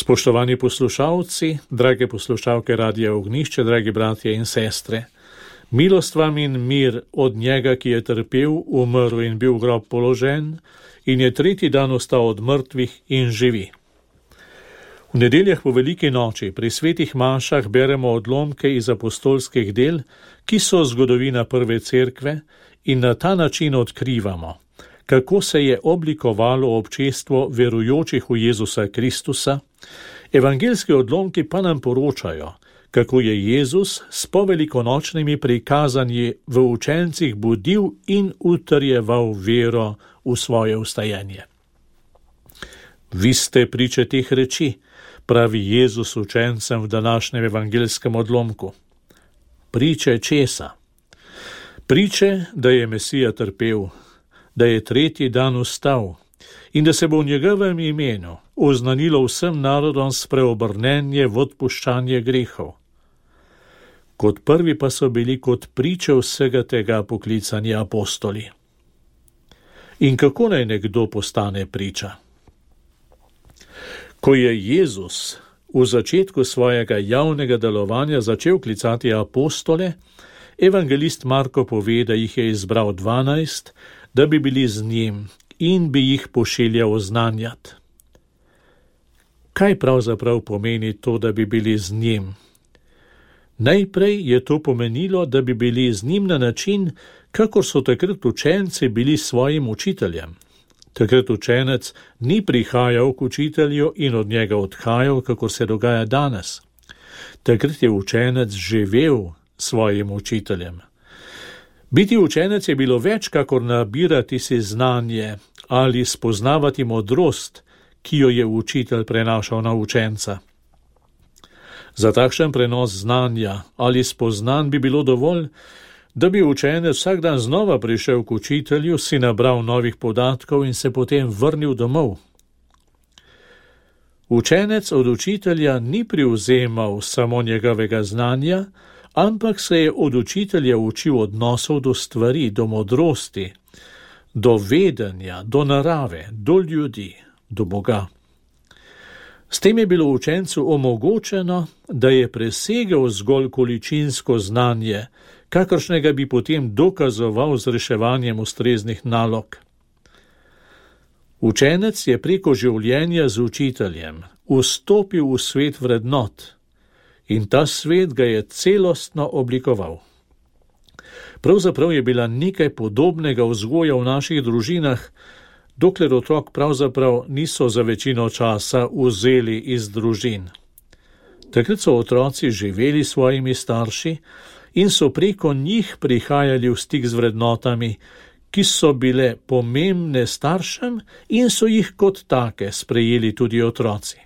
Spoštovani poslušalci, drage poslušalke Radia Ognjišče, dragi bratje in sestre, milost vam in mir od njega, ki je trpel, umrl in bil v grob položen in je tretji dan ostal od mrtvih in živi. V nedeljah po veliki noči pri svetih mašah beremo odlomke iz apostolskih del, ki so zgodovina prve cerkve, in na ta način odkrivamo, kako se je oblikovalo občestvo verujočih v Jezusa Kristusa. Evangeljski odlomki pa nam poročajo, kako je Jezus s povelikonočnimi prikazanji v učencih budil in utrjeval vero v svoje vstajenje. Vi ste priče teh reči, pravi Jezus učencem v današnjem evangeljskem odlomku. Priče česa? Priče, da je Mesija trpel, da je tretji dan vstal in da se bo v njegovem imenu oznanilo vsem narodom spreobrnenje v odpuščanje grehov. Kot prvi pa so bili kot priče vsega tega poklicani apostoli. In kako naj nekdo postane priča? Ko je Jezus v začetku svojega javnega delovanja začel klicati apostole, evangelist Marko pove, da jih je izbral 12, da bi bili z njim in bi jih pošiljal oznanjati. Kaj pravzaprav pomeni to, da bi bili z njim? Najprej je to pomenilo, da bi bili z njim na način, kakor so takrat učenci bili svojim učiteljem. Takrat učenec ni prihajal k učitelju in od njega odhajal, kakor se dogaja danes. Takrat je učenec živel svojim učiteljem. Biti učenec je bilo več, kakor nabirati si znanje ali spoznavati modrost, ki jo je učitelj prenašal na učenca. Za takšen prenos znanja ali spoznanj bi bilo dovolj, da bi učenec vsak dan znova prišel k učitelju, si nabral novih podatkov in se potem vrnil domov. Učenec od učitelja ni privzemal samo njegovega znanja, ampak se je od učitelja učil odnosov do stvari, do modrosti, do vedenja, do narave, do ljudi, do Boga. S tem je bilo učencu omogočeno, da je presegel zgolj količinsko znanje, kakršnega bi potem dokazoval z reševanjem ustreznih nalog. Učenec je preko življenja z učiteljem vstopil v svet vrednot in ta svet ga je celostno oblikoval. Pravzaprav je bila nekaj podobnega vzgoja v naših družinah, dokler otrok pravzaprav niso za večino časa vzeli iz družin. Takrat so otroci živeli s svojimi starši in so preko njih prihajali v stik z vrednotami, ki so bile pomembne staršem in so jih kot take sprejeli tudi otroci.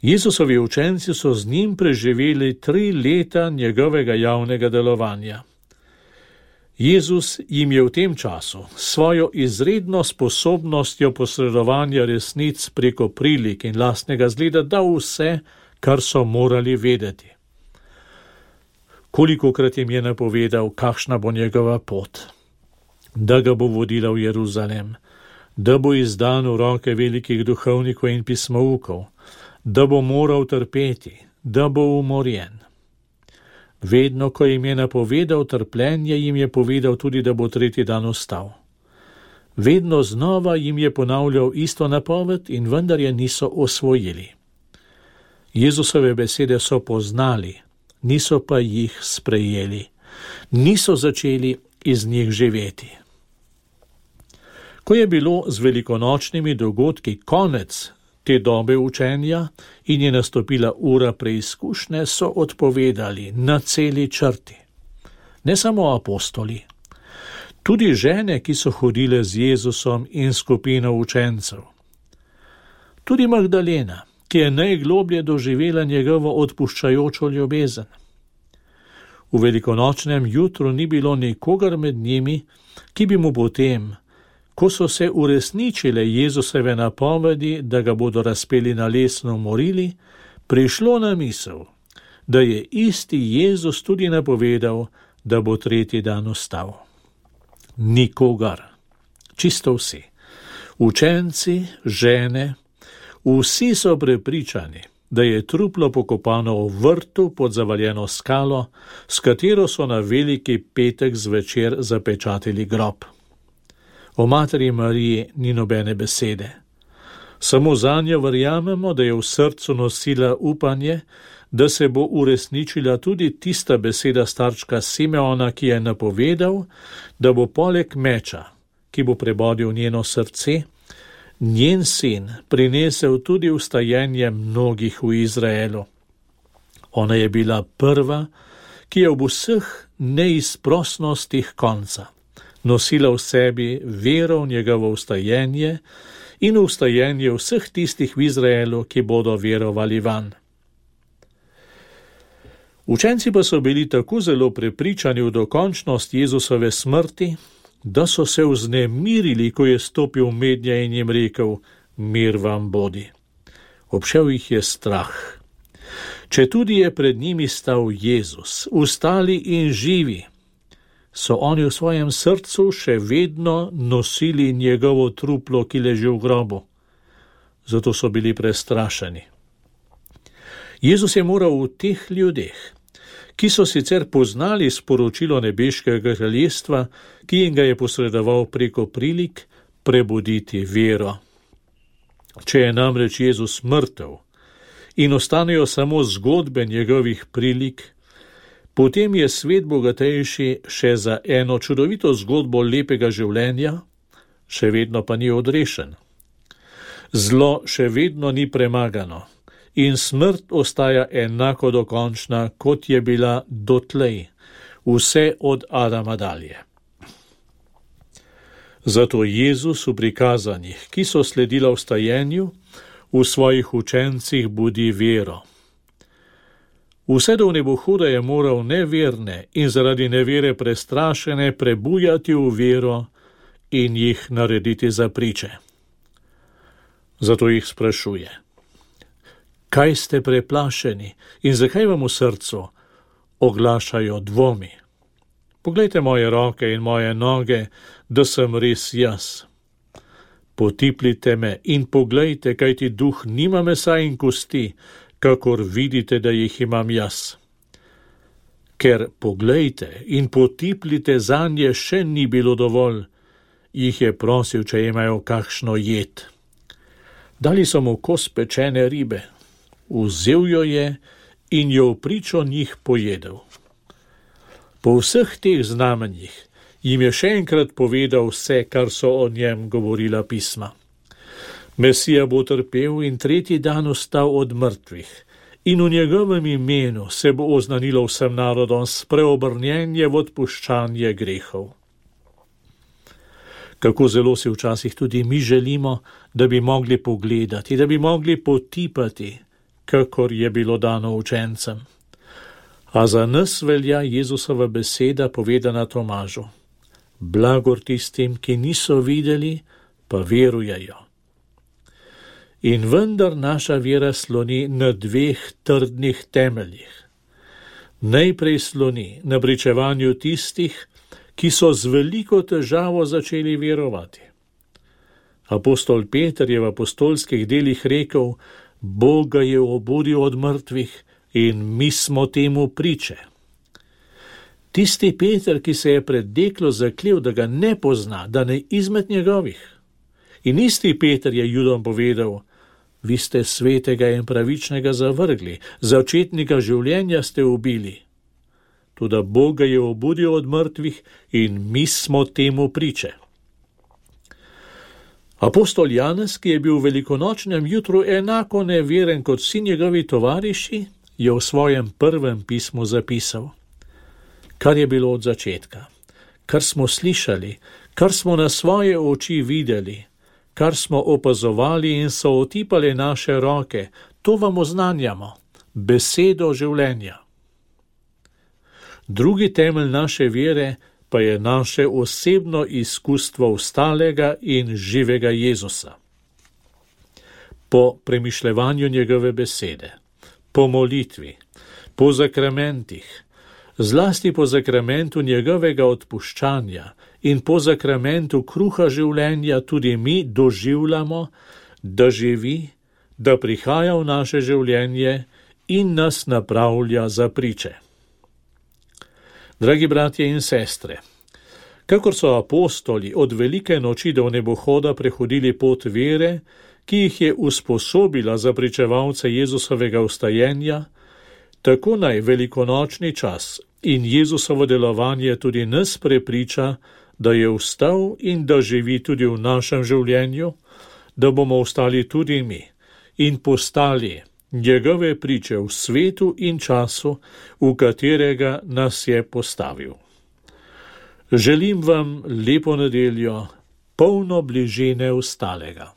Jezusovi učenci so z njim preživeli 3 leta njegovega javnega delovanja. Jezus jim je v tem času svojo izredno sposobnostjo posredovanja resnic preko prilik in lastnega zgleda dal vse, kar so morali vedeti. Kolikokrat jim je napovedal, kakšna bo njegova pot, da ga bo vodila v Jeruzalem, da bo izdan v roke velikih duhovnikov in pismoukov, da bo moral trpeti, da bo umorjen. Vedno, ko jim je napovedal trpljenje, jim je povedal tudi, da bo tretji dan vstal. Vedno znova jim je ponavljal isto napoved in vendar je niso osvojili. Jezusove besede so poznali, niso pa jih sprejeli, niso začeli iz njih živeti. Ko je bilo z velikonočnimi dogodki konec te dobe učenja in je nastopila ura preizkušnje, so odpovedali na celi črti. Ne samo apostoli, tudi žene, ki so hodile z Jezusom in skupino učencev. Tudi Magdalena, ki je najgloblje doživela njegovo odpuščajočo ljubezen. V velikonočnem jutru ni bilo nikogar med njimi, ki bi mu potem, ko so se uresničile Jezusove napovedi, da ga bodo razpeli na lesno umorili, prišlo na misel, da je isti Jezus tudi napovedal, da bo tretji dan vstal. Nikogar, čisto vsi, učenci, žene, Vsi so prepričani, da je truplo pokopano v vrtu pod zavaljeno skalo, s katero so na veliki petek zvečer zapečatili grob. O materi Mariji ni nobene besede. Samo zanjo verjamemo, da je v srcu nosila upanje, da se bo uresničila tudi tista beseda starčka Simeona, ki je napovedal, da bo poleg meča, ki bo prebodil njeno srce, njen sin prinesel tudi vstajenje mnogih v Izraelu. Ona je bila prva, ki je ob vseh neizprosnostih konca nosila v sebi vero v njegovo vstajenje in vstajenje vseh tistih v Izraelu, ki bodo verovali vanj. Učenci pa so bili tako zelo prepričani v dokončnost Jezusove smrti, da so se vznemirili, ko je stopil mednje in jim rekel: mir vam bodi. Obšel jih je strah. Četudi je pred njimi stal Jezus, ustali in živi, so oni v svojem srcu še vedno nosili njegovo truplo, ki leži v grobu. Zato so bili prestrašeni. Jezus je moral v teh ljudeh, ki so sicer poznali sporočilo nebeškega kraljestva, ki jim ga je posredoval preko prilik, prebuditi vero. Če je namreč Jezus mrtev in ostanejo samo zgodbe njegovih prilik, potem je svet bogatejši še za eno čudovito zgodbo lepega življenja, še vedno pa ni odrešen. Zlo še vedno ni premagano in smrt ostaja enako dokončna, kot je bila dotlej, vse od Adama dalje. Zato Jezus v prikazanjih, ki so sledila vstajenju, v svojih učencih budi vero. Vse do nebohuda je moral neverne in zaradi nevere prestrašene prebujati v vero in jih narediti za priče. Zato jih sprašuje: kaj ste preplašeni in zakaj vam v srcu oglašajo dvomi? Poglejte moje roke in moje noge, da sem res jaz. Potiplite me in poglejte, kajti duh nima mesa in kosti, kakor vidite, da jih imam jaz. Ker poglejte in potiplite zanje še ni bilo dovolj, jih je prosil, če imajo kakšno jed. Dali so mu kos pečene ribe, vzel jo je in jo v pričo njih pojedel. Po vseh teh znamenjih jim je še enkrat povedal vse, kar so o njem govorila pisma. Mesija bo trpel in tretji dan vstal od mrtvih in v njegovem imenu se bo oznanilo vsem narodom spreobrnjenje v odpuščanje grehov. Kako zelo si včasih tudi mi želimo, da bi mogli pogledati, da bi mogli potipati, kakor je bilo dano učencem. A za nas velja Jezusova beseda povedana Tomažu: blagor tistim, ki niso videli, pa verujejo. In vendar naša vera sloni na dveh trdnih temeljih. Najprej sloni na pričevanju tistih, ki so z veliko težavo začeli verovati. Apostol Peter je v apostolskih delih rekel: Bog ga je obudil od mrtvih in mi smo temu priče. Tisti Peter, ki se je pred deklo zaklel, da ga ne pozna, da ne izmed njegovih. In isti Peter je Judom povedal: vi ste svetega in pravičnega zavrgli, začetnika življenja ste ubili. Toda Bog ga je obudil od mrtvih in mi smo temu priče. Apostol Janez, ki je bil v velikonočnem jutru enako neveren kot vsi njegovi tovariši, je v svojem prvem pismu zapisal: kar je bilo od začetka, kar smo slišali, kar smo na svoje oči videli, kar smo opazovali in so otipali naše roke, to vam oznanjamo, besedo življenja. Drugi temelj naše vere pa je naše osebno izkustvo vstalega in živega Jezusa. Po premišljevanju njegove besede, po molitvi, po zakramentih, zlasti po zakramentu njegovega odpuščanja in po zakramentu kruha življenja tudi mi doživljamo, da živi, da prihaja v naše življenje in nas napravlja za priče. Dragi bratje in sestre, kakor so apostoli od velike noči do nebohoda prehodili pot vere, ki jih je usposobila za pričevalce Jezusovega vstajenja, tako naj velikonočni čas in Jezusovo delovanje tudi nas prepriča, da je vstal in da živi tudi v našem življenju, da bomo vstali tudi mi in postali njegove priče v svetu in času, v katerega nas je postavil. Želim vam lepo nedeljo, polno bližine vstalega.